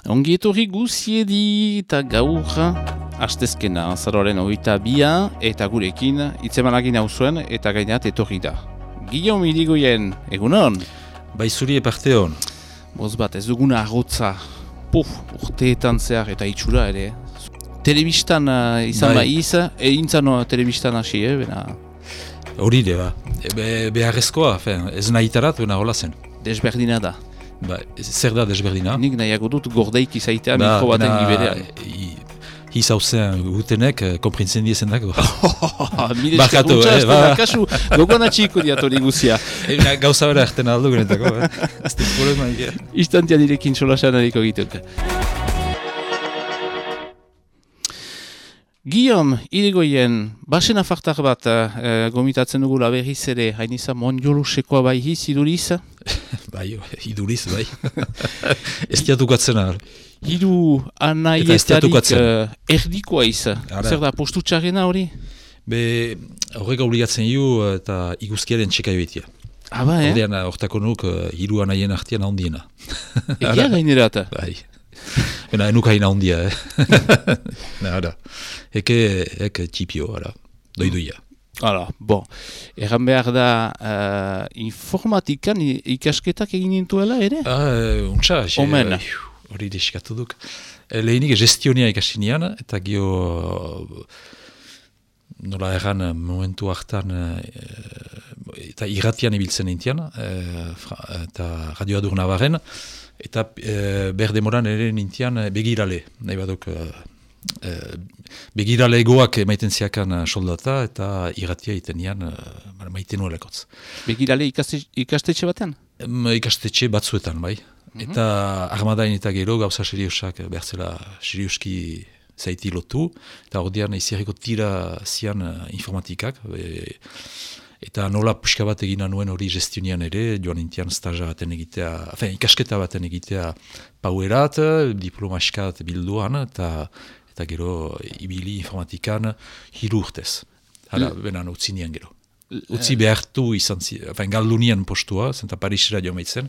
Ongi etorri guziedi eta gaur astezkena azaroaren 22 eta gurekin hitzemanakin hau zuen eta gainat etorri da. Guillaume Irigoyen, egunon? Bai zuri eparte hon. Boz bat, ez duguna arrotza, urteetan zehar eta itxura ere. Telebistan izan bai intzan telebistan hasi, bena... Hori de, ba. Beharrezkoa, ez nahitarat, bena hola zen. Desberdina da. Ba, zer da desberdina? Nik nahiago dut gordeik izaitea mikro baten giberean. Hizauzen gutenek, komprintzen diezen dago. Bakatu, kasu, gogoan atxiko diatori guzia. Gauza bera erten aldo genetako, ez da problema. Istantia direkin solasean eriko gituk. Guillaume Irigoyen, basen afartar bat gomitatzen dugula berriz ere, hain izan mondiolosekoa bai hiz, iduriz? Bai, iduriz, bai. Ez diatukatzen ahal. Hiru anaietarik erdikoa izan. Zer da, postu txarrena hori? Horrek obligatzen hiu eta iguzkiaren txekai betia. Ba, Hordean, hortako nuk hiru anaien artian handiena. Egia gainerata? Bai. Bena, enuk hain handia, Eke txipio, doiduia. Bon. Erran behar da informatikan ikasketak egin nintuela ere? Untsa, Omen. Hori deskatu duk. Lehenik gestionia ikasinean, eta gio nola erran momentu hartan eta irratian ibiltzen nintian, eta Radio Adur Navarren, eta berdemoran ere nintian begirale, nahi baduk begirale egoak maiten ziakan soldata, eta irratia iten nian maiten nuelekotz. Begirale ikastetxe batean? Ikastetxe batzuetan, bai. Eta armadain eta gero gauza seriosak berzela serioski zaiti lotu, eta ordean izierriko tira zian informatikak, eta nola puska bat egina nuen hori gestionian ere, joan nintian staja baten egitea, ikasketa baten egitea pauerat, diploma eskat bilduan, eta gero ibili informatikan 3 urtez. Hala, benan utzi nien gero. Utzi behartu izan ziren, galdu nien postua, zenta Parisera jo maitzen,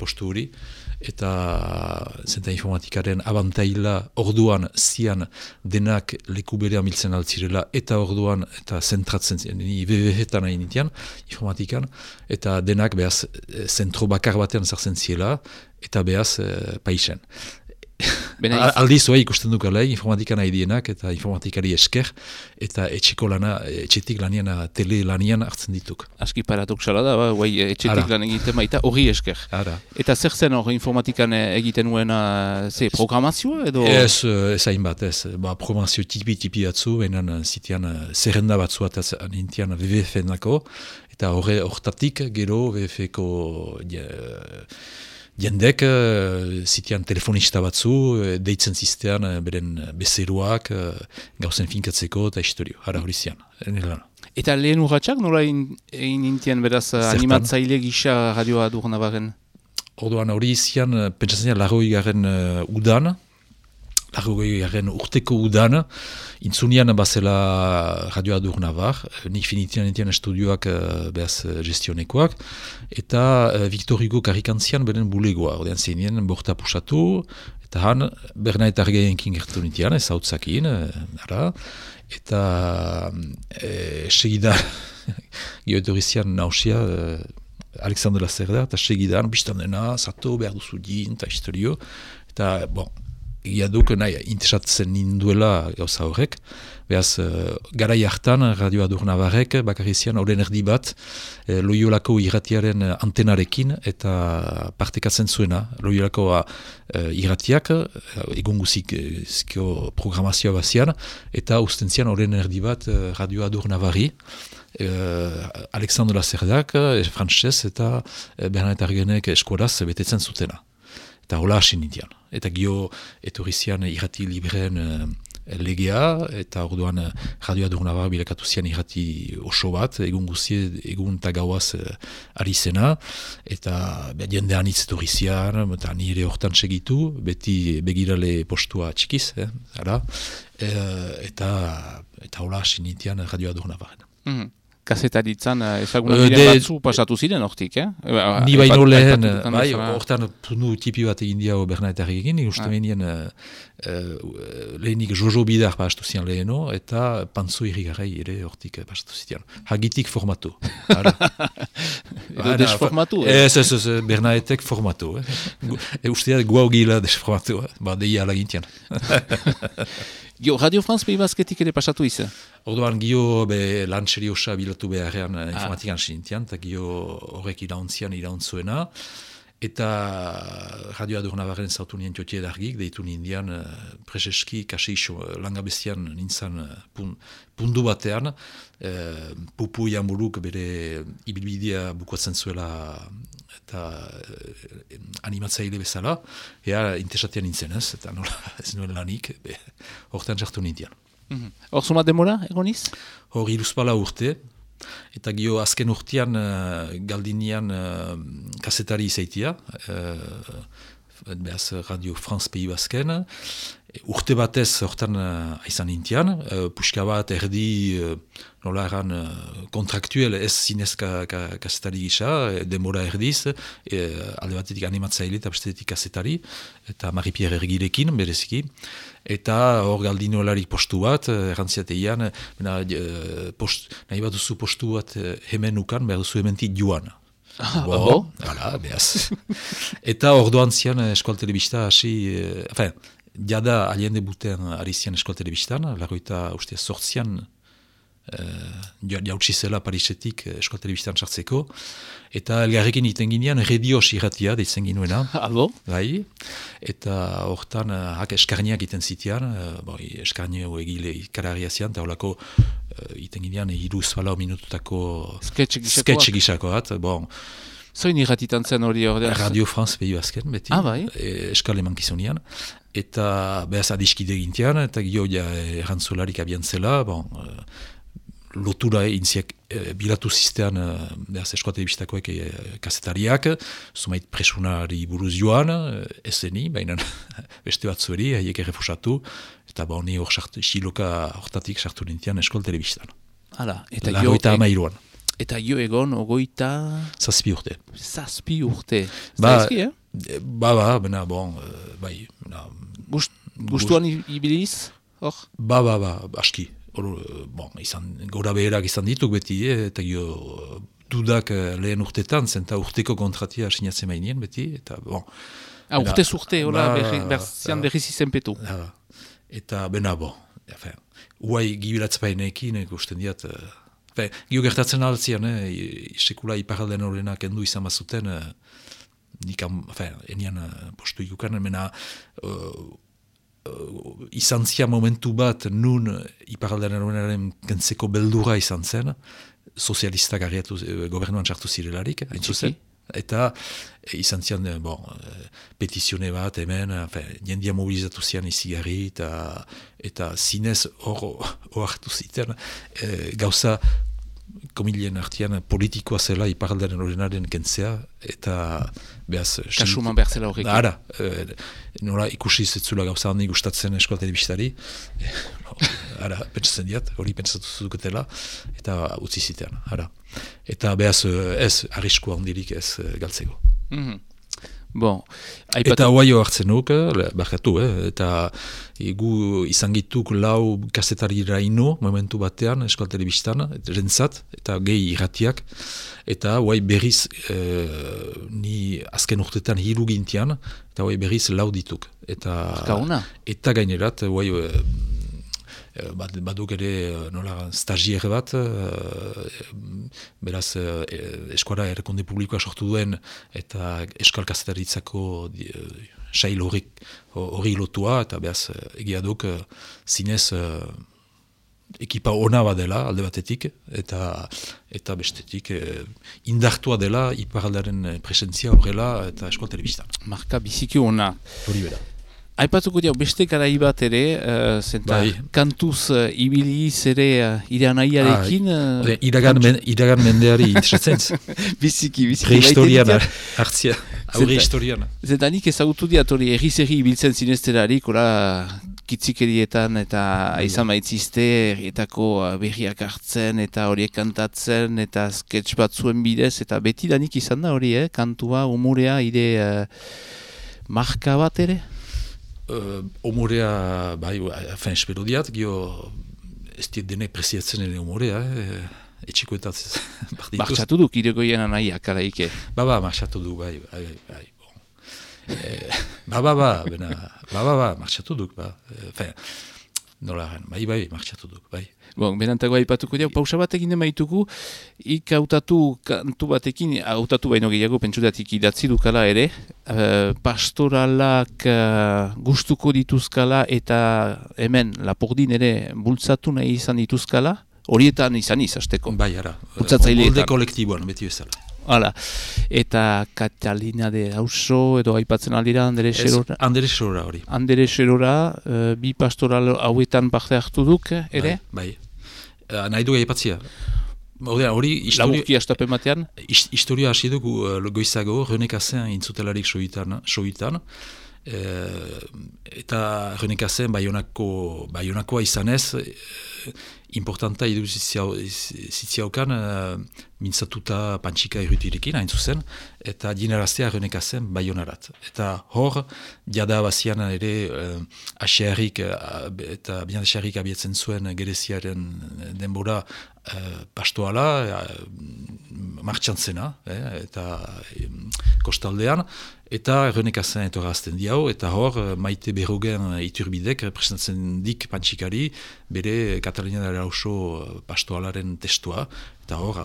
postu hori, eta zenta informatikaren abantaila orduan zian denak leku berean biltzen altzirela, eta orduan, eta zentratzen ziren, ni BBH-etan nahi nintian, informatikan, eta denak behaz zentro bakar batean zartzen ziela, eta behaz paisen. Aldiz oa ikusten dukala, informatika nahi dienak eta informatikari esker, eta etxeko lana, etxetik lanian, tele lanian hartzen dituk. Aski paradoxala da, etxetik lan egiten baita hori esker. Eta zer zen hori informatikan egiten nuena programazioa edo? Ez hain bat, ez. Programazio tipi batzu, behinan zitian zerrenda batzu ataz nintian WWF-enako, eta hortatik gero WWF-eko jendek, zitian telefonista batzu, deitzen ziztean beren bezeroak, gauzen finkatzeko eta historio, hori zian. Eta lehen urratxak nola egin nintian beraz animatzaile gisa Radio Adur Navarren? Orduan hori zian, pentsatzen zian, 80. Udan, 80. Urteko udan, intzunian bazela Radio Adur Navar, nik finitian estudioak behaz gestionekoak, eta Victor Hugo karikantzian beren bulegoa, ordean zenien borta pusatu, eta han Bernat eta Argaienkin gertu nintian, ez hautzakin, eta segidan, geoetorizian nausia, Alexandre Lacerda, eta segidan, biztan dena, zato behar duzu din, eta historio, eta, bon, egia duk nahi interesatzen ninduela gauza horrek. Beaz, garai hartan Radio Adur Navarrek bakarrizian horren erdi bat Loiolako irratiaren antenarekin eta partekatzen zuena. Loiolako irratiak egun guziko programazioa bazian eta ustentzian horren erdi bat Radio Adur Navarri. Alexandre Lacerdak, frantzez eta Bernat Argenek eskolaz betetzen zutena. Eta hola hasi nintian. Eta gio etorrizian irrati libreen legea, eta orduan Radio Adur Navar bilakatu zian irrati oso bat, egun guzie, egun eta gauaz ari zena, eta jendean hitz etorrizian, eta nire hortan segitu, beti begirale postua txikiz, eta hola hasi nintian Radio Adur Navarren. kazetaritzan ezaguna diren batzu pasatu ziren hortik, Ni baino lehen, bai, hortan puntu tipi bat egin diago Bernaetarrik egin, uste menien lehenik Jojo Bidar pastu zian leheno, eta Pantzo Irigarai ere hortik pastu zian. Hagitik formatu. Edo desformatu? Ez, Bernaetek formatu. Usteat guau gila desformatu, deia alagintian. Gio, Radio France Pays Basketik ere pasatu izan? Orduan, Gio lan seriosa bilatu beharrean informatikan sinintian, eta Gio horrek irauntzuena, eta Radio Adurnabarren zautu nien tiotie dargik, deitu nindian preseski, kasi langabestian nintzan pundu batean, Pupu Jamburuk bere ibilbidea bukatzen zuela eta animatzaile bezala, ea interesatia nintzen ez, eta nola ez nuen lanik, horretan jartu nindian. Hor zuma demora, egoniz? Hor iruzpala urte, eta Gio azken urtean galdinean kazetari izaitia, behaz Radio France Pays Basken, urte batez hortan aizan nintian, puxka bat erdi nola eran kontraktuel ez zinez kazetari gisa, demora erdiz, alde batetik animatzaile eta bestetik kazetari, eta Marie-Pierre Ergirekin bereziki, eta hor galdinolarik postu bat, errantziateian, nahi bat duzu postu bat hemen ukan, behar duzu hementik joan. Hala, behaz. Eta orduan zian Eskual Telebista hasi, jada alien debuten ari zian Eskual Telebistan, lagoita uste sortzian jautsi zela Parisetik Eskual Telebistan sartzeko, eta elgarrekin iten ginean redios irratia deitzen ginuena. Alo? Bai, eta hortan eskarniak iten zitean, eskarnio egile ikararia zian, eta horlako iten ginean iruz balau minututako sketch gisakoat. Zoin irratitan zen hori ordean? Radio France Pays Basken, beti. Bai? Eskal emankizunian. Eta behaz adiskide gintian, eta gio errantzularik abian zela, lotura intziak bilatu ziztean behaz Eskola Telebistakoek kazetariak, zumait presunari buruz joan, eseni, baina beste bat zueri, haiek errefusatu, eta ni hor xiloka hortatik sartu nintian Eskola Telebistan. Hala, Lagoita amairuan. Eta jo egon, ogoita... Zazpi urte. Zazpi urte. Zaizki, bai. Gustuan ibiliz, hor? Aski. Gora beherak izan dituk beti, eta dudak lehen urtetan, zenta urteko kontratia sinatzen mainien beti, eta urtez urte, berzian berriz izenpetu. Eta uai gibilatzpaineekin, ikusten diat, gio gertatzen altzian, sekula iparalden horrenak endu izan bazuten, enian postu ikukan, izan zia momentu bat nun iparaldean horrenaren kentzeko beldura izan zen, sozialistak ariatu gobernuan sartu zirelarik, hain zuzen. Eta izan zian petizione bat hemen, jendia mobilizatu zian izigarri, eta zinez hor hartu ziten gauza komilien artian politikoa zela iparaldean horrenaren kentzea, eta behaz... Kasuman behar zela horrekin. Ara, nola ikusi zetzula gauza handi gustatzen Eskola Telebistari, pentsatzen diat, hori pentsatu zuketela, eta utzi zitean, ara. Eta behaz ez, arrisku handirik ez galtzeko. Eta hoaio hartzen nuk, barkatu, eta gu izan gituk lau kazetarira ino, momentu batean, Eskola Telebistan, rentzat, eta gehi irratiak, eta hoai berriz, ni azken urtetan hiru gintian, eta hoai berriz lau dituk. Eta gainerat, hoai baduk ere nola stagier bat, beraz eskuara errekonde publikoa sortu duen eta eskal kazetaritzako sail hori lotua, eta beraz egia duk zinez ekipa ona badela alde batetik, eta bestetik indartua dela iparaldaren presentzia horrela eta Eskola Telebistan. Marka biziki ona. Hori bera. Aipatuko dira, beste garai bat ere, kantuz ibiliz ere iragan nahiarekin... Iragan mendeari interesatzen. Biziki. Prehistorian hartzia, aurre historian. Zetanik ezagutu diat hori erriz ibiltzen zinezterarik, kitzikerietan eta izan baitzizte herrietako berriak hartzen eta horiek kantatzen eta sketch batzuen bidez eta betidanik izan da hori, kantua, humorea, ire marka bat ere? Humorea, bai, espero diat, gio ez diet denek preziatzen ere humorea, etxikoetatz partituz. Martxatu duk iregoien anaiak, alaike. Martxatu du, bai. Martxatu duk, nolaren, bai, martxatu duk, bai. Bon, berantago aipatuko diak, pausa bat egin demaituko, hautatu kantu batekin, hautatu baino gehiago pentsudatik idatzi dukala ere, pastoralak gustuko dituzkala eta hemen Lapordin ere bultzatu nahi izan dituzkala, horietan izan izasteko. Bai, ara, molde kolektiboan, beti bezala. Hala, eta Catalina de Auso edo aipatzen aldira Andere Xerora. Andere Xerora hori. Andere Xerora, bi pastoral hauetan parte hartu duk, ere? Bai. Nahi du aipatzia. Hori, laburki astapen batean? Historia hasi dugu goizago, René Cassin intzutelarik soitan. Eta René Cassin baionakoa izanez, importanta idu zitziaukan mintzatuta pantxika irrutirekin, hain zuzen, eta dineraztea René Cassin baionarat. Eta hor, jada bazian ere asiarrik eta bianasiarrik abietzen zuen gereziaren denbora pastoala, martxan zena, eta kostaldean, eta René Cassin etorazten diau, eta hor, Maite Berrogen iturbidek presentatzen dik pantxikari, bere Catalina de Auso pastoalaren testua, eta hor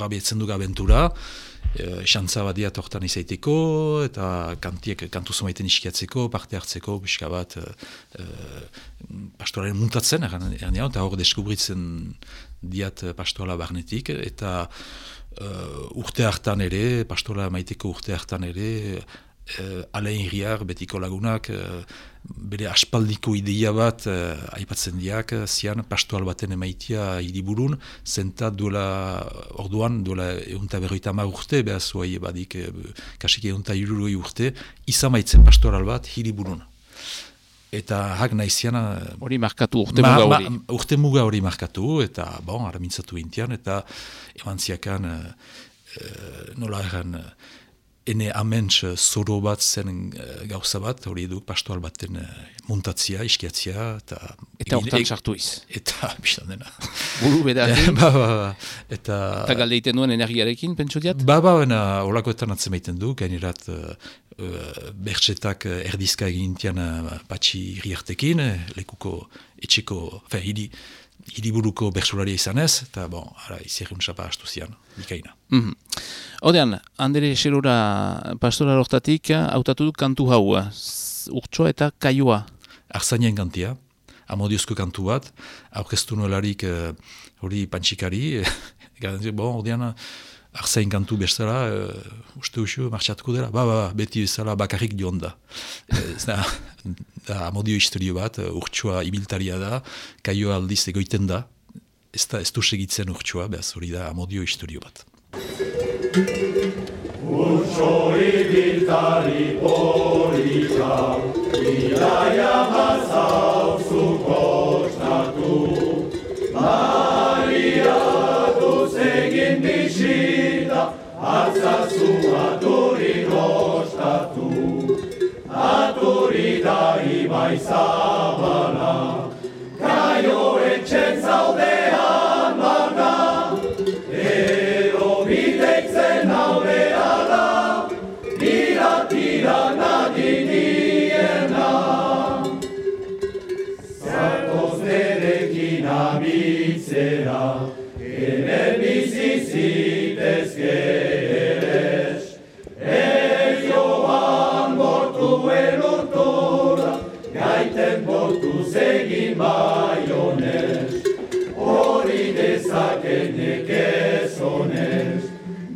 abietzen duk abentura, xantza bat diat hortan izaiteko, eta kantu zumaiten iskiatzeko, parte hartzeko, pixka bat pastoalaren muntatzen, eta hor deskubritzen diat pastoala barnetik, eta urte hartan ere, pastola maiteko urte hartan ere, Alain Riar, betiko lagunak, bere aspaldiko ideia bat aipatzen diak, zian pastoal baten emaitia hiriburun, zenta duela eunta berroita ma urte, behaz huai badik kasik eunta iruroi urte, izan maitzen pastoral bat hiriburun. Eta hak nahiziana... Hori markatu, urte muga hori. Urte muga hori markatu, eta aramintzatu intian, eta eman ziakan nola erran... Ene aments zoro bat zen gauza bat, hori edu pastoal baten muntatzia, iskiatzia, eta hortan sartu iz. Eta, biztan dena. Buru bedakin. Eta galdeiten duen energiarekin, pentsu diat? Olakoetan atzemaiten du, gainerat bertsetak erdizka egintian patxi riartekin, lekuko etxeko, hiriburuko bertsolaria izanez, eta izerriun xapa astu zian, bikaina. Odean, Andere Xerora pastoral hortatik, hautatu duk kantu hau, urtsoa eta kaioa. Arzainen kantia, amodiozko kantu bat, aurkeztu nuelarik hori pantxikari, odean, Arzain kantu bestela, uste usio, martxatuko dela, beti bezala bakarrik dion da. Da amodio historio bat, urtsua ibiltaria da, kaio aldiz egoiten da, ez du segitzen urtsua, behaz hori da amodio historio bat. Urtso ibiltari polita, bidaia bazauzu kostatu, baliatuz egin bisita, atzazu aturi nostatu, aturi da ibai zabala, kaio etxen zaudean barna, edo bideitzen aldeala, tira nadidiena. Zatoz nerekin abitzera, hemen bizizitezke eres, ez joan bortu elurtura, gaiten bortu zegin baionez, hori dezaken nekezonez,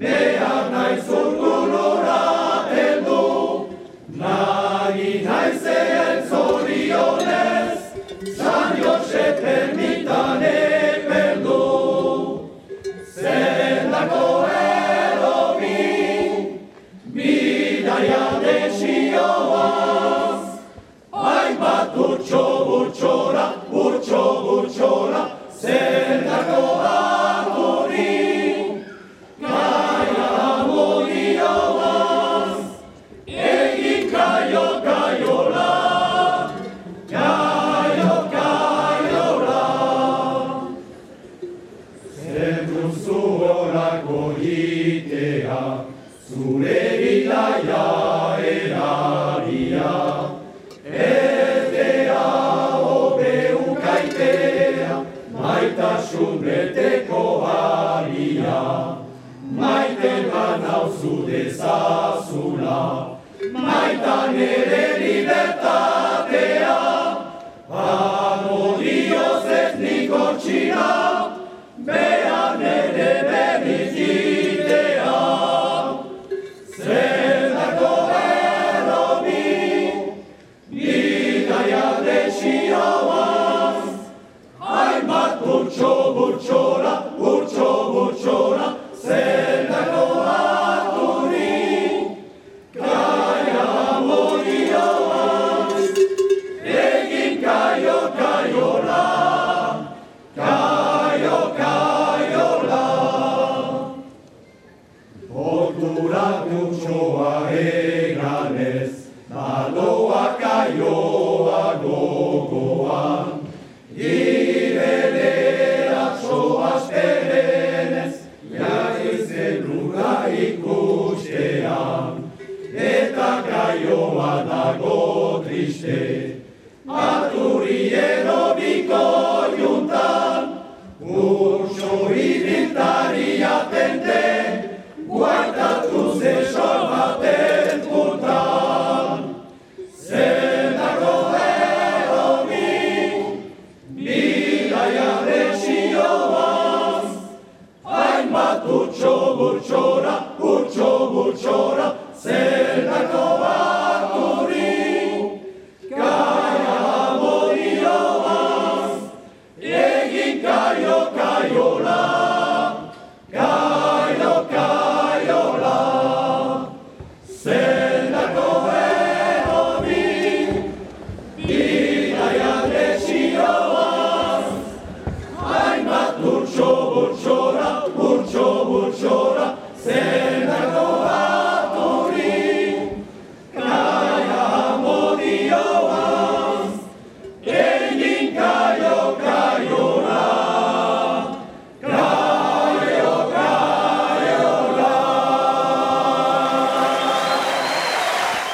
behar naiz urgunora heldu, nagi naizen zorionez, San Josep ermitan epeldu, zendako erobi, bidaia desioaz, hainbat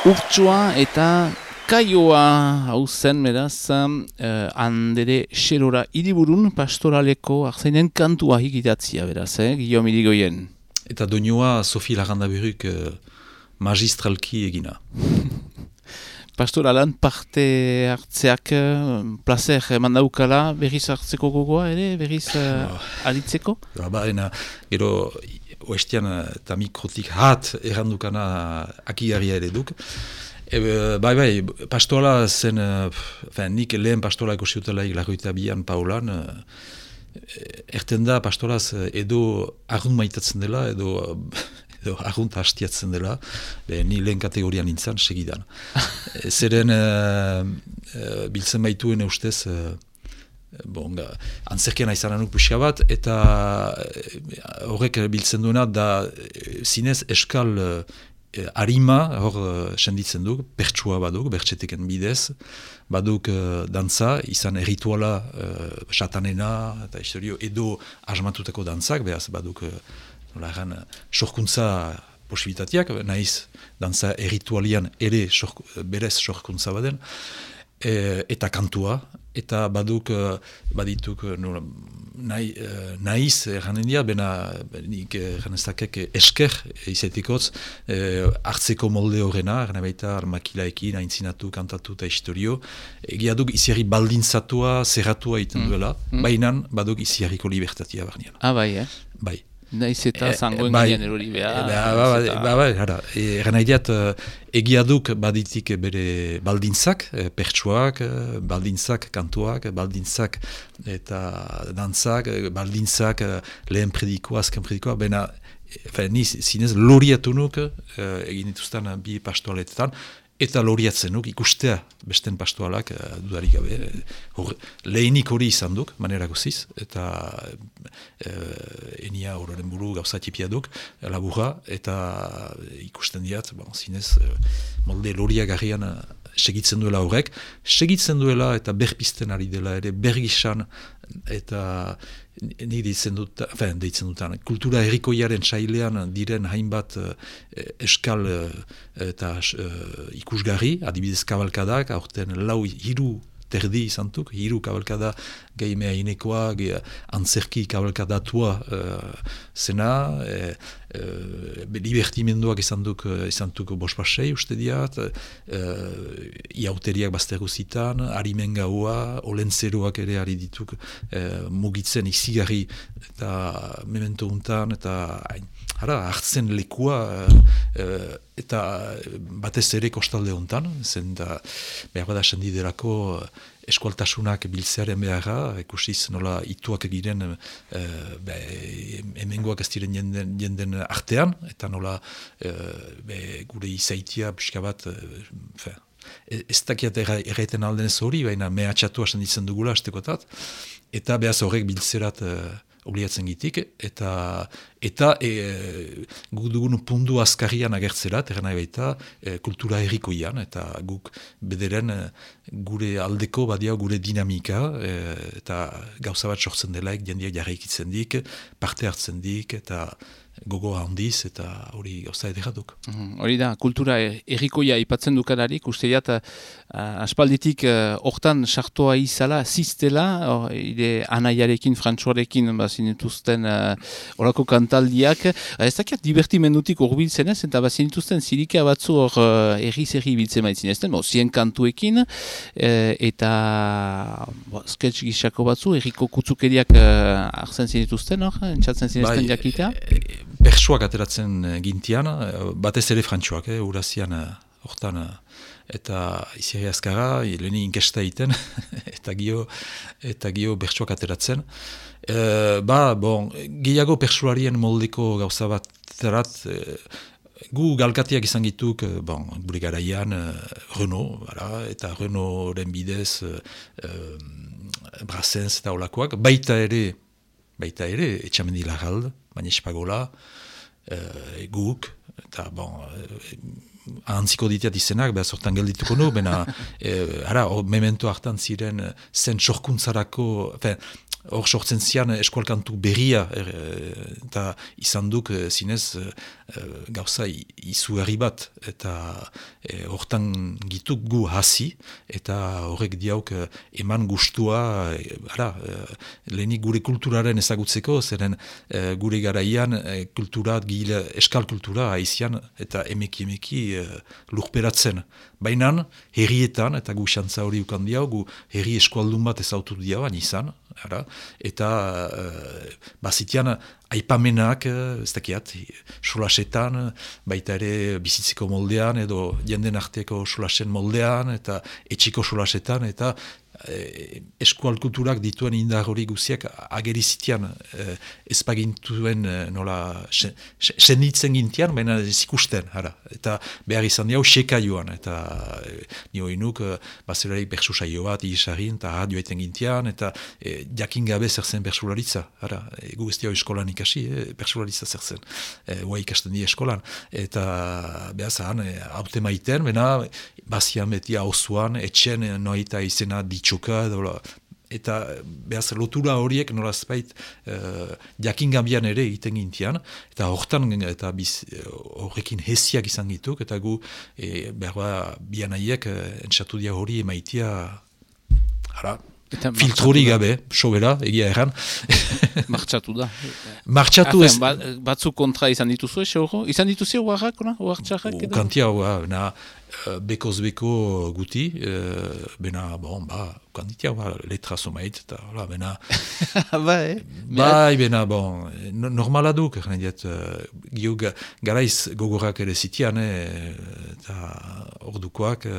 Urtsua eta kaioa hau zen, beraz, handere xerora hiriburun pastoraleko arzainen kantua higitatzia, beraz, Guillaume Irigoyen. Eta doinua Sofi Lagandaberuk magistralki egina. Pastoralan parte hartzeak placer mandaukala berriz hartzeko gogoa ere, berriz aritzeko? Gero oestian eta mikrotik hat errandukana akigarria ere duk. Bai, pastola zen, nik lehen pastola ekosiutelaik Largoita bian Paulan, erten da pastolaz edo argunt maitatzen dela, edo argunt hastiatzen dela, ni lehen kategorian nintzen, segidan. Zeren biltzen baituen ustez, antzerkian aizan anuk puxka bat, eta horrek biltzen duena da zinez eskal harima hor senditzen duk, pertsua baduk, bertxeteken bidez, baduk dantza, izan errituala satanena, eta historio edo asmatutako dantzak, behaz baduk sorkuntza posibilitateak, nahiz dantza erritualian ere berez sorkuntza baden, eta kantua, eta badituk nahiz erranen dira, nik erranezakek esker izatikotz hartzeko molde horrena, erran baita makilaekin, aintzinatu, kantatu eta historio, egia duk iziarri baldintzatua, zerratua iten duela, bainan baduk iziarriko libertatia barnean. Bai, Bai. Naiz eta zangoen ginen erori behar. Erran haideat, egia duk baditik bere baldintzak, pertsuak, baldintzak, kantuak, baldintzak eta dantzak, baldintzak lehen predikoa, azken predikoa, ni zinez loriatu nuk egin dituzten bi pastoaletetan, eta loriatzen duk, ikustea besten pastoalak dudarik gabe, lehenik hori izan duk, manera goziz, eta enia horren buru gauza tipia duk, laburra, eta ikusten diat, zinez, molde loriagarrian segitzen duela horrek, segitzen duela eta berpisten ari dela ere bergisan, eta nik deitzen dutan, kultura herrikoiaren sailean diren hainbat eskal eta ikusgarri, adibidez kabalkadak, aurten hiru terdi izantuk, hiru kabalkada gehi inekoa, antzerki kabalkadatua zena, libertimenduak izantuk bospasei uste diat, iauteriak baztergu zitan, harimen gaua, olentzeroak ere ari dituk mugitzen izigarri eta memento untan, eta hartzen lekua eta batez ere kostalde hontan, zen da behar bada sendiderako eskualtasunak biltzearen beharra, ikusiz nola ituak egiren hemengoak ez diren jenden artean, eta nola gure izaitia pixka bat, ez dakiat erraiten aldenez hori, baina mehatxatu hasen ditzen dugula astekotat, eta behaz horrek biltzerat obliatzen gitik, eta guk dugun pundu azkarrian agertzerat, erran nahi baita, kultura herrikoian, eta guk bederen gure aldeko badia gure dinamika, eta gauza bat sortzen delaik, jendeak jarraikitzen dik, parte hartzen dik, eta gogo handiz, eta hori gauza ederatuk. Hori da, kultura herrikoia ipatzen dukalarik, uste diat, aspalditik hortan sartoa izala, ziztela, ide anaiarekin, frantsuarekin, bazinituzten horako kantaldiak, ez dakiat divertimendutik urbiltzen ez, eta bazinituzten zirika batzu hor erri-zerri biltzen maitzen ezten, zien kantuekin, eta sketch gixako batzu, herriko kutzukeriak arzen zinituzten hor, entzatzen zinezten jakitea? Persuak ateratzen gintian, batez ere frantsuak, urazian hortan, eta izierri azkara, leheni inkesta egiten, eta gio persuak ateratzen. Gehiago persuarien moldeko gauza bat terat, gu galkatiak izan gituk, gure garaian, Renault, eta Renaultren bidez, Brassens eta olakoak, baita ere, etxamendi Larralde, baina espagola, guk, eta ahantziko diteat izenak, behar sortan geldituko nu, memento hartan ziren zen sorkuntzarako, hor sortzen zian eskualkantu berria, eta izan duk zinez gauza izugarri bat, eta hortan gituk gu hasi, eta horrek diauk eman gustua, lehenik gure kulturaren ezagutzeko, zeren gure garaian eskal kultura haizian, eta emeki lurperatzen. Baina herrietan, eta gu xantza hori ukan diau, gu herri eskualdun bat ezautu diau, izan, eta bazitian aipamenak, ez dakiat, solasetan, baita ere bizitzeko moldean, edo jenden arteko solasen moldean, eta etxiko solasetan, eta eskualkulturak dituen indar hori guziak agerizitian ezpagintuen nola senditzen gintian, baina ez ikusten, eta behar izan diau seka joan, eta nio inuk bazelarik bersusaio bat izarin, eta radio eten gintian, eta jakin gabe zer zen bersularitza, gu ez diau eskolan ikasi, bersularitza zer zen, hoa ikasten di eskolan, eta behar zan, haute maiten, baina bazian beti hauzuan, etxen noita izena ditxoka, eta behaz lotura horiek nolazpait jakingambian ere egiten gintian, eta horretan eta horrekin hesiak izan gituk, eta gu behar bianaiek entzatu dia hori emaitia filtrori gabe, sobera, egia erran. Martxatu da. Martxatu ez... Batzu kontra izan dituzu, izan dituzu oaxarrak? Kantia, bekoz beko guti, bena, kanditia, letra somait, eta, bena... Bena, normala duk, garaiz gogorak ere zitian, eta ordukoak,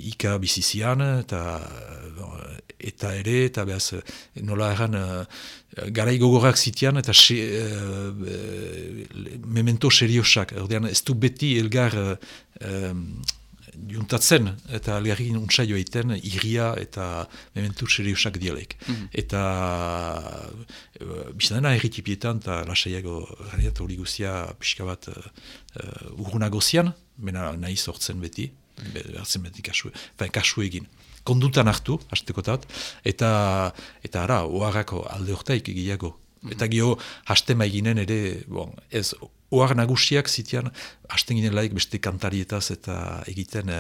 Ika bizizian, eta eta ere, eta behaz, nola erran, garai gogorrak zitian, eta memento seriosak, ordean ez du beti elgar juntatzen, eta algarrikin untsaio egiten, irria eta memento seriosak dialek. Eta biztadena erritipietan, eta lasaiago radiat hori guzia pixka bat urgunago zian, mena nahi sortzen beti, hartzen beti kasu egin. Kondutan hartu, hastekotat, eta ara, oharrako alde hortaik egiago. Eta gio, hastema eginen ere, ez, ohar nagusiak zitian, hasten ginen laik beste kantarietaz eta egiten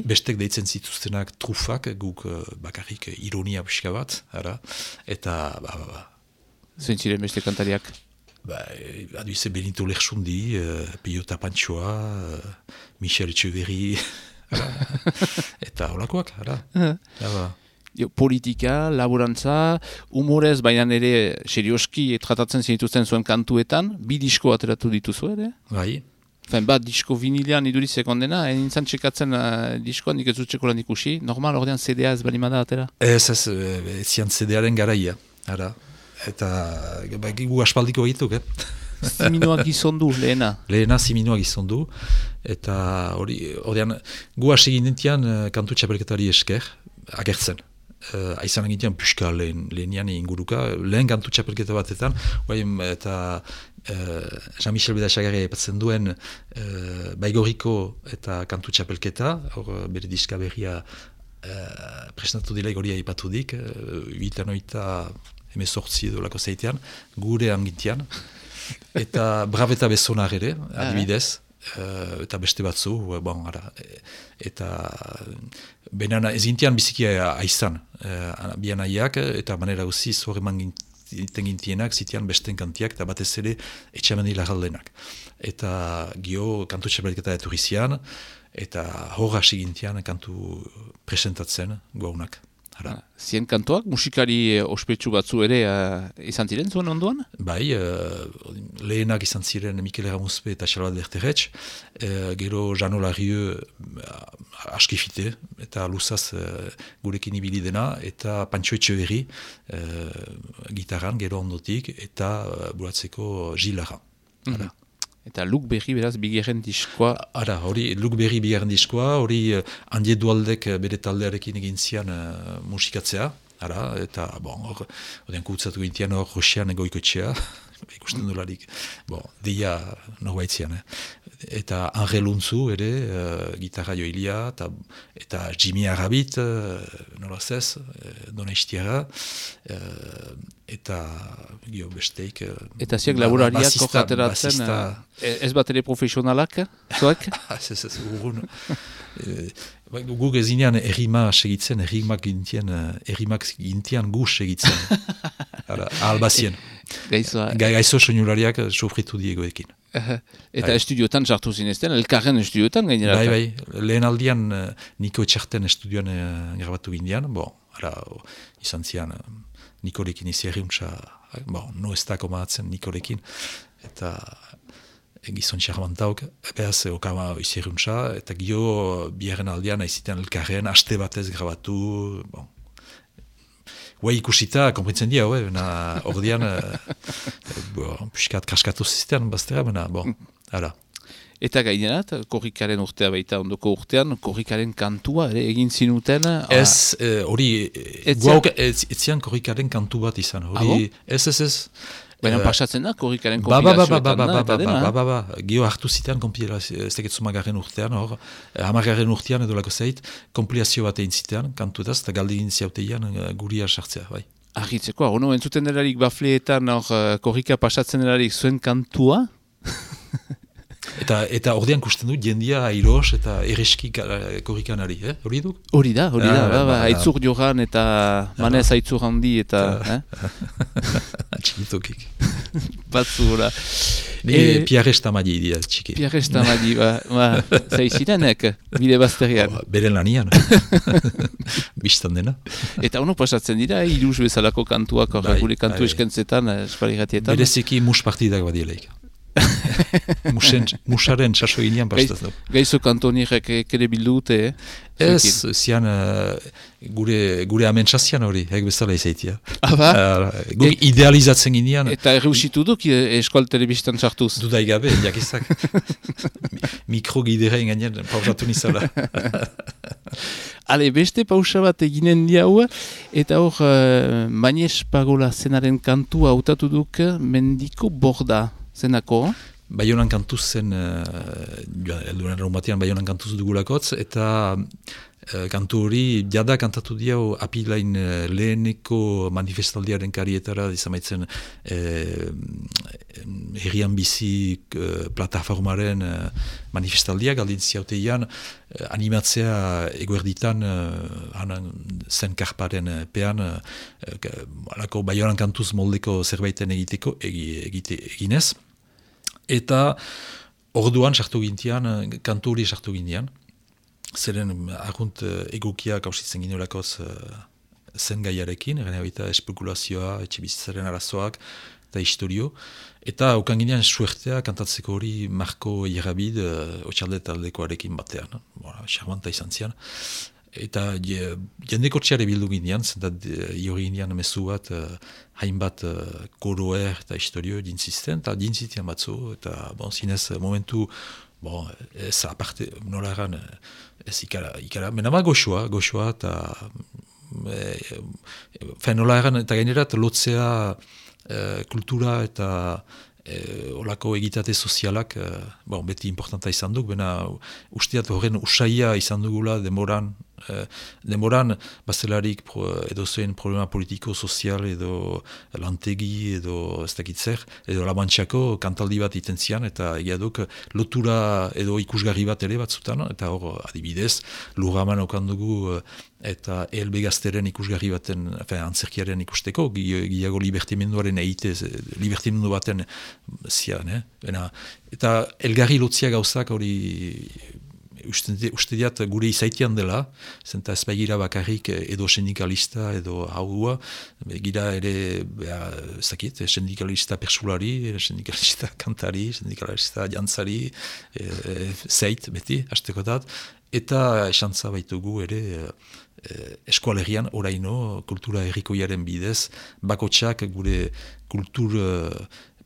bestek deitzen zituztenak trufak, guk bakarrik ironia pixka bat, ara, eta Zentziren beste kantariak? Aduize Benito Lersundi, Pio Tapantxoa, Michel Etxeverri, eta holakoak, ara. Politika, laborantza, humorez, baina ere serioski tratatzen zinituzten zuen kantuetan, 2 disko ateratu dituzu ere? Bai. Bat disko vinilean iduritzek ondena, nintzen txekatzen diskoan, nik ez dut txekolan ikusi, normal ordean CD-a ez balimada atera? Ez zian CD-aren garaia, ara. Eta gu aspaldiko egituk, Ziminoak gizondu, lehena? Lehena ziminoak gizondu, eta ordean gu hasi ginentian kantu txapelketari esker, agertzen. Aizan egitean puxka lehenian inguruka, lehen kantu txapelketa batetan, eta Jean-Michel Bedaxagarria epatzen duen Baigorriko eta kantu txapelketa, hor bere diska berria presentatu dila goria ipatudik, 1918 dolako zeitean, gure angintian, eta Braveta Besonar ere, adibidez, eta beste batzu, eta benana ez gintian biziki aizan, bian aiak, eta manera guzi zorreman gintienak, zitian besten kantiak, eta batez ere etxameni lagaldenak. Eta gio kantu txapelketa eturizian, eta hor hasi gintian kantu presentatzen gaunak. Zien kantoak, musikari ospetsu batzu ere izan ziren zuen ondoan? Bai, lehenak izan ziren Mikel Erramuzpe eta Charlotte Berteretx, gero Jano Larrieu askifite, eta luzaz gurekin ibili dena, eta Pantxo Etxeverri gitarran gero ondotik, eta buratzeko Gilara. Eta Luk Berri beraz bigarren diskoa? Hori Luk Berri bigarren diskoa, hori Andi Edualdek bere taldearekin egin zian musikatzea, eta hori kutzatu gintian hor Roxean Goikoetxea, ikusten dolarik, deia norbaitzian. Eta Anre Luntzu ere, gitarra joilia, eta Jimmy Arabit, nolazez, Donaistiara, eta gio besteik... Eta ziak laborariak kokateratzen, ez bat ere profesionalak, zoek? Ez, urgun. Guk ezinean errima segitzen, errimak gintian gu segitzen. Albazien. Gaizo soinulariak sofritu diegoekin. Eta estudiotan sartu zinezten, elkarren estudiotan gainera? Bai, lehen aldian Niko Etxarten estudioan grabatu gindian, izan zian Nikorekin izierriuntza, no ez dako maatzen Nikorekin, eta gizon txarmantauk, behaz okama izierriuntza, eta gio biaren aldian aizitean elkarren, haste batez grabatu, ikusita, konprintzen dia, ordean, piskat kraskatu ziztean, baztera, ara. Eta gainerat, korrikaren urtea baita ondoko urtean, korrikaren kantua ere egin zinuten? Ez, hori, guauk etzian korrikaren kantu bat izan, hori, ez. Baina pasatzen da, korrikaren kompilazioetan da, eta dena? Gio hartu zitean, ez teketzu magarren urtean, hamargarren urtean edo lako zait, kompilazio bat egin zitean, kantuetaz, eta galde egin ziauteian guria sartzea, bai. Argitzeko, entzuten delarik bafleetan, korrika pasatzen delarik zuen kantua? Eta ordean kusten du, jendia airos eta erreski korrikanari, hori duk? Hori da, aitzur joran eta manez aitzur handi eta... Txikitokik. Batzura. Pierre Estamadi dira, txiki. Pierre Estamadi, zaizirenek, bide bazterian. Beren lanian. Bistan dena. Eta ono pasatzen dira, iruz bezalako kantuak, gure kantu eskentzetan, espaligatietan. Bereziki mus partidak badielaik. Musaren txaso ginean pastaz du. Gaizo kantonierek ere bildute, Ez, zian gure amentsazian hori, bezala izaitia. Guk idealizatzen ginean. Eta erreusitu duk eskual telebistan txartuz. Dudai gabe, jakizak. Mikrogidera inganean pausatu nizala. Ale, beste pausa bat eginen diau, eta hor, Mañez Pagola zenaren kantua hautatu duk Mendiko Borda zenako. Baionan kantuz zen, elduran batean Baionan kantuz dugulakotz, eta kantu hori jada kantatu diau apilain leheneko manifestaldiaren karietara, izamaitzen herrian bizi plataformaren manifestaldiak, aldin ziauteian animatzea eguerditan zen karparen pean, alako Baionan kantuz moldeko zerbaiten eginez. Eta orduan sartu gintian, kantu hori sartu gintian, zeren argunt egokia kausitzen gineolakoz zen gaiarekin, gane baita espekulazioa, etxibizitzaren arazoak eta historio. Eta okan ginean suertea kantatzeko hori Marko Ierabid otxalde taldekoarekin batean. Charmanta izan zian. Eta jendeko txare bildu ginean, zentat jori ginean mezu bat hainbat koroer eta historio dintzisten, eta dintzitian batzu, eta zinez momentu, ez aparte, nola eran, ez ikara, menama goxoa, eta nola eran, eta gainerat lotzea kultura eta olako egitate sozialak beti importanta izan duk, bena usteat horren usaia izan dugula demoran bazelarik edo zuen problema politiko, sozial edo lantegi edo ez dakitzer, edo labantxako kantaldi bat iten zian, eta egia duk lotura edo ikusgarri bat ere batzutan, eta hor adibidez lurraman okan dugu eta ELB gazteren ikusgarri baten, antzerkiaren ikusteko, giago libertimenduaren libertimendu baten zian, eta elgarri lotzia gauzak hori uste diat gure izaitean dela, zenta ez baigira bakarrik edo sindikalista edo haua, gira ere, zakit, sindikalista persulari, sindikalista kantari, sindikalista jantzari, zeit, beti, hastekotat, eta esantza baitugu ere eskualerian oraino kultura herrikoiaren bidez, bakotxak gure kultur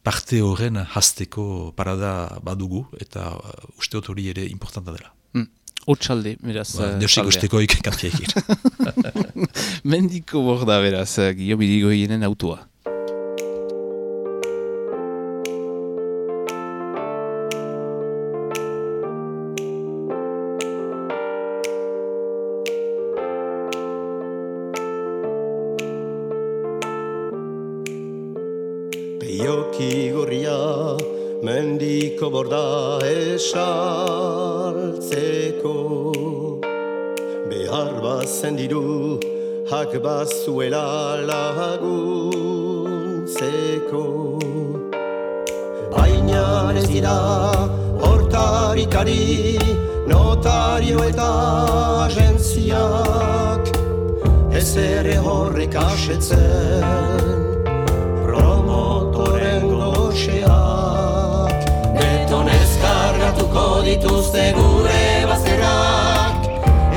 parte horren hasteko parada badugu, eta usteot hori ere importanta dela. Otsalde, beraz. Deusik ustekoik kantiekir. Mendiko Borda, beraz, Guillaume Irigoyenen autoa. Peioki gorria Mendiko Borda esaltzeko, behar bazen diru hak bazuela laguntzeko. Baina ez dira hortarikari, notario eta agentziak, ez ere horrek asetzen promotoren goxeak. Betonez kargatuko dituzte gure bazterrak,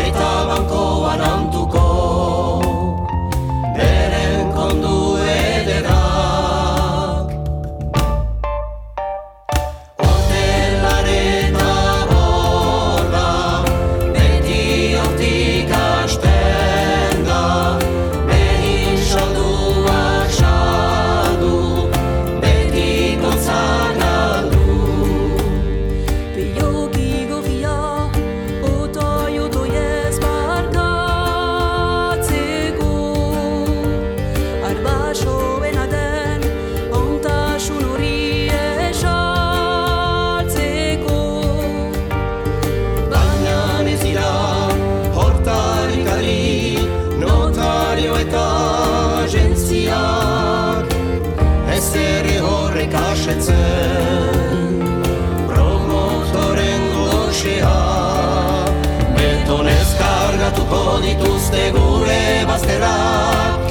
eta bankoan antuko beren kondu ederrak. Hotelaren aborda beti hortik hasten da, behin salduak saldu, beti gontzak galdu. Peioki gorria, otoi-otoiez barkatzeko, arbasoena den ontasun hori esaltzeko. Baina ez dira hortarikari, notario eta agentziak, ez ere horrek asetzen promotoren goxeak. Betonez kargatuko dituzte gure bazterrak,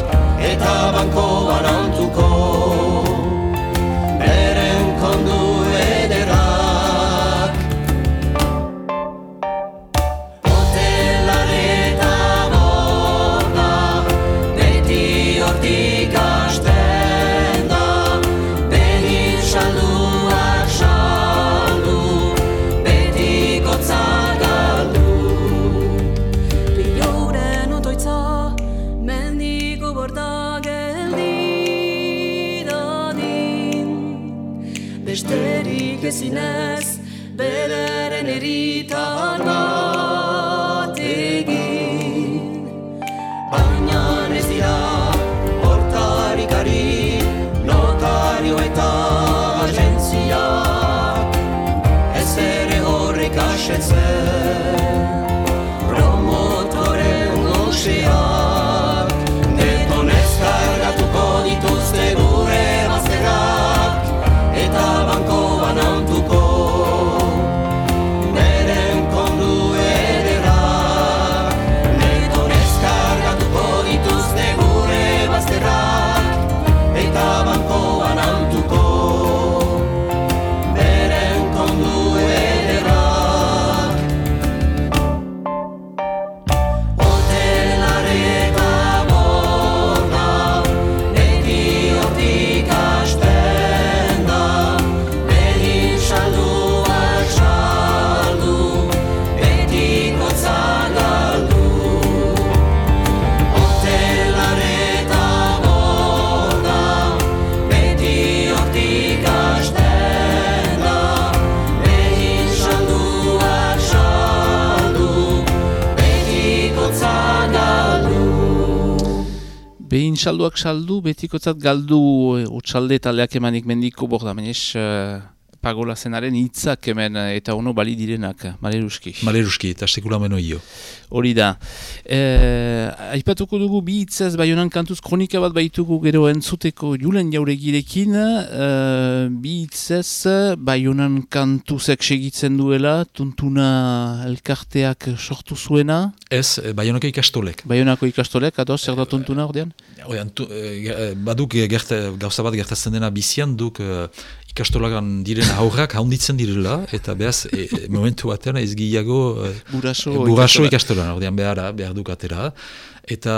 eta bankoan antuko beren kondu promotoren goxeak, detonez kargatuko dituzte gure bazterrak, eta banko banantuko beren kondu ederrak, detonez kargatuko dituzte gure bazterrak, eta banko banantuko beren kondu ederrak. Hotelareta borda, beti hortik hasten da, behin salduak saldu, betikotza galdu. Hotelareta borda, beti hortik hasten da, behin salduak saldu, betikotza galdu. Behin salduak saldu, betikotzat galdu utsalde taldeak emanik mendiko borda, menez pagola zenaren hitzak hemen eta ono bali direnak, Maleruski. Maleruski eta sekula menoio. Hori da. Aipatuko dugu bi hitzez Baionan kantuz kronika bat baitugu gero entzuteko Julen Jauregirekin, bi hitzez Baionan kantuzek segitzen duela, tuntuna elkarteak sortu zuena. Ez, Baionako ikastolek. Baionako ikastolek, ados, zer da tuntuna ordean? Baduk gauza bat gertatzen dena bizian duk ikastolagan diren aurrak haunditzen direla, eta behaz, momentu batean ez gehiago buraso ikastolan, ordean behar duk atera. Eta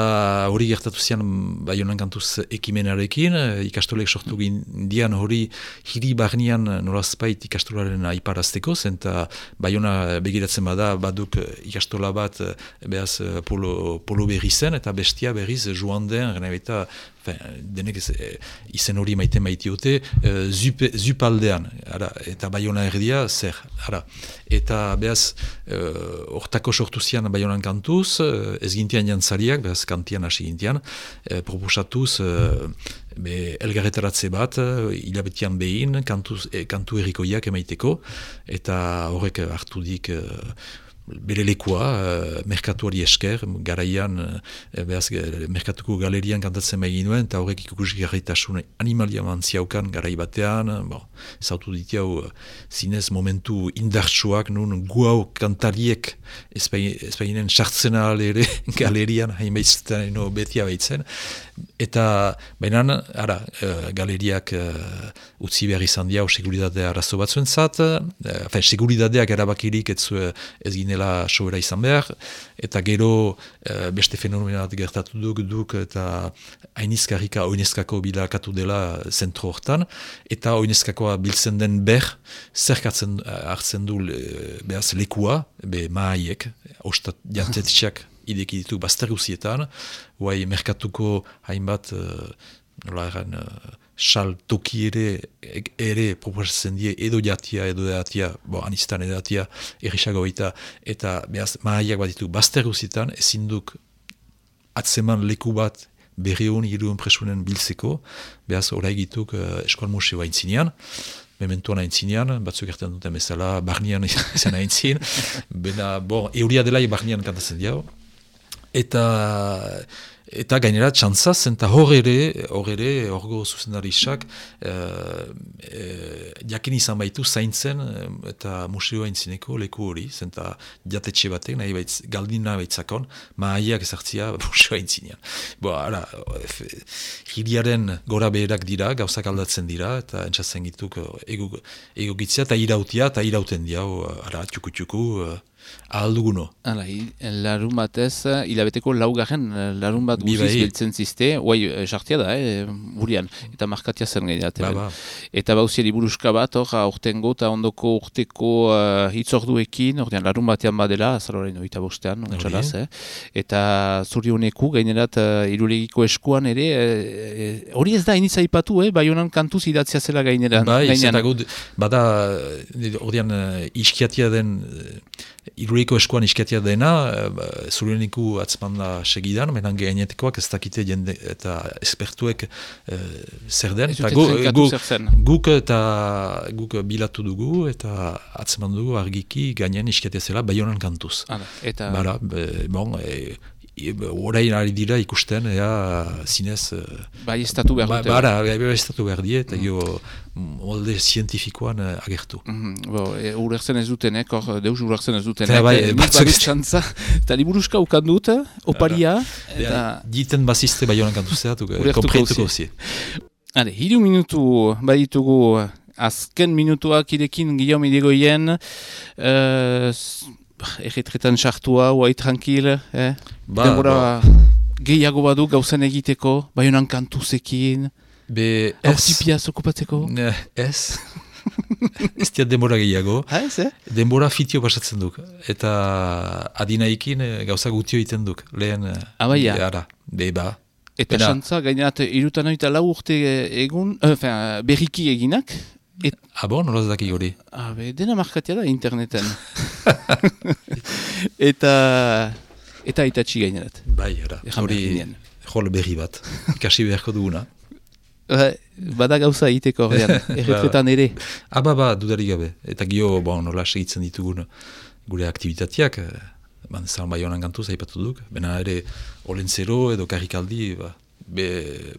hori gertatu zian Baionan kantuz ekimenarekin, ikastolek sortu gindian hori hiri barnean nolazpait ikastolaren aiparazteko, eta Baiona begiratzen baduk ikastola bat behaz polo berri zen, eta bestia berriz joan den, eta denek izen hori maitiote, zupaldean, eta Baiona erdia zer. Eta behaz, hortako sortu zian Baionan kantuz, ez gintian jantzariak, behaz kantian hasi gintian, proposatuz elgarretaratze bat, hilabetian behin, kantu errikoiak emaiteko, eta horrek hartu dik bere lekua, merkatuari esker, garaian, merkatuko galerian kantatzen begin nuen, eta horrek ikusgarritasun animalia mantziaukan garai batean, zautu ditiau zinez momentu indartsuak, nun guau kantariek ezpainen sartzena ere galerian, hainbaitzen betia baitzen, eta bainan, galeriak utzi behar izan diau seguridadea arazo batzuen zat, seguridadeak erabakirik ez ginela sobera izan behar, eta gero beste fenomenat gertatu duk eta hainizkarrika oinezkako bilakatu dela zentro hortan, eta oinezkakoa biltzen den zerkatzen hartzen du behaz lekua, mahaiek, ostat jantetxeak ideki ditu bazterguzietan, guai merkatuko hainbat sal toki ere proposatzen die edo jatia, anistan edo jatia errisago baita, eta behaz mahaiak bat ditu bazterguzietan, ezinduk atzeman leku bat berri honi hiruen presunen biltzeko, behaz horai gituk Eskual Museoa aintzinean, mementuan aintzinean, batzuk erten duten bezala, barnean izan aintzin, euria dela barnean kantatzen diau, eta gainera txantzaz, eta hor ere, horgo zuzendarisak, jakin izan baitu zaintzen, eta museoa aintzineko leku hori, zenta jatetxe batek, galdina baitzakon, mahaiak ezartzia museoa aintzinean. Hiriaren gora beherak dira, gauzak aldatzen dira, eta entzatzen gituk egogitzia, eta irautia, eta irauten diau, txuku, ahalduguno. Larun batez, hilabeteko laugarren larun bat guziz beltzen ziste, guai, sartia da, burian, eta markatia zen gehiatzen. Eta bauzieri buruska bat, aurtengo eta ondoko urteko hitzorduekin, larun batean badela, azaloren oita bostean, eta zuri honeku, gainerat Irulegiko eskuan ere, hori ez da iniz aipatu, Baionan kantuz idatzia zela gaineran. Bada, ordean iskiatia den Iruriko eskuan iskatia dena, Zuruniku atzmanda segidan, menan gainetekoak ez dakite jende eta espertuek zer den. Ez dute trenkatu zer zen. Guk bilatu dugu eta atzman dugu argiki gainen iskatia zela Baionan kantuz. Eta... Bara, orain ari dira ikusten, zinez... Bai estatu behar dute. Bai estatu behar die, eta molde zientifikoan agertu. Urertzen ez dutenek, deus urertzen ez dutenek. Nik badut txantza, eta liburuska ukan dut, oparia. Diten bazizte Baionan kantuzea, kompreituko zi. 3 minutu baditugu, azken minutuak irekin Guillaume Irigoyen, erretretan sartua, uai tranquil, denbora gehiago badu gauzen egiteko, Baionan kantuzekin, aurtipiaz okupatzeko? Ez. Ez diat denbora gehiago. Ez, Denbora fitio pasatzen duk. Eta adinaikin gauza gutio egiten duk. Lehen, ara, beba. Eta xantza, gainerat, 64 urte egun, berriki eginak, Nola ez daki hori? Dena markatia da interneten. Eta aitatxi gainerat. Bai, hori jol berri bat. Ikasi beharko duguna. Bada gauza egiteko horrean, erretretan ere. Dudarik gabe. Eta gio, nola segitzen ditugun gure aktivitateak, zan Baionan kantuz aipatu duk, bena ere olentzero edo karrikaldi,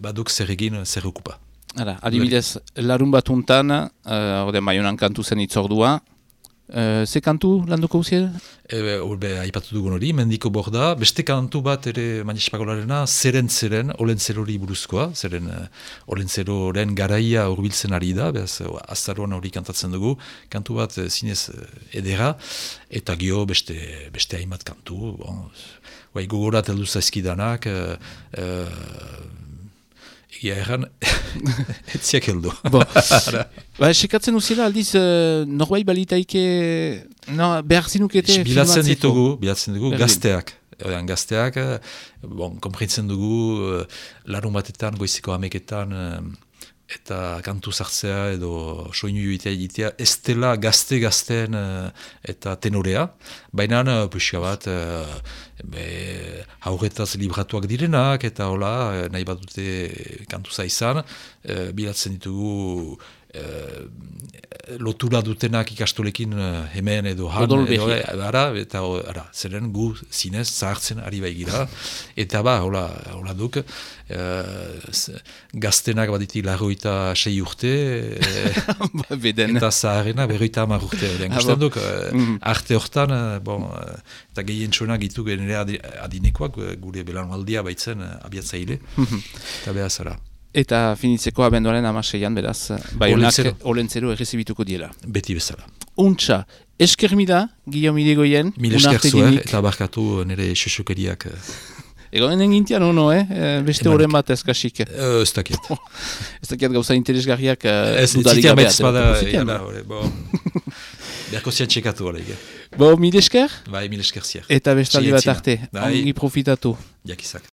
baduk zer egin, zer okupa. Adibidez, larun batuntan, Baionan kantu zen itzordua, ze kantu landuko uziel? Aipatu dugun hori, Mendiko Borda, beste kantu bat ere Manispagolarena, zeren, olentzerori buruzkoa, zeren olentzeroren garaia urbiltzen ari da, behaz, azaroan hori kantatzen dugu, kantu bat zinez edera, eta gio beste hainbat kantu, gogorat heldu zaizkidanak, egia erran, etziak heldu. Sekatzen uziela aldiz, norbait balitaike behar zinukete filmatzeko? Bilatzen dugu gazteak. Gazteak, konprintzen dugu, larun batetan, goizeko ameketan, eta kantu sartzea edo soinu egitea, ez dela gazte-gazten eta tenorea, baina puxka bat haurretaz libratuak direnak eta hola, nahi bat dute kantuza izan, bilatzen ditugu lotura dutenak ikastolekin hemen edo han, eta zeren gu zinez zahartzen ari baigira, eta hola duk, gaztenak baditi 26 urte, eta zaharena 50 urte. Gusten duk, arte hortan, eta gehien txonak gitu genere adinekoak, gure belaunaldia baitzen abiatzaile, eta behar zara. Eta finitzeko abenduaren 16an beraz, Baionak olentzero errezibituko diela. Beti bezala. Untxa, eskermida, Guillaume Irigoyen. Mil esker zuer, eta barkatu nire xosokeriak. Egonen engintian ono, beste horren bat ezkasik. Ez dakiat. Ez dakiat gauza interesgarriak dudarik gabeat. Berko zian txekatu hori. Mil esker? Bai, mil esker ziar. Eta bestaldi bat arte, ongi profitatu. Jakizak.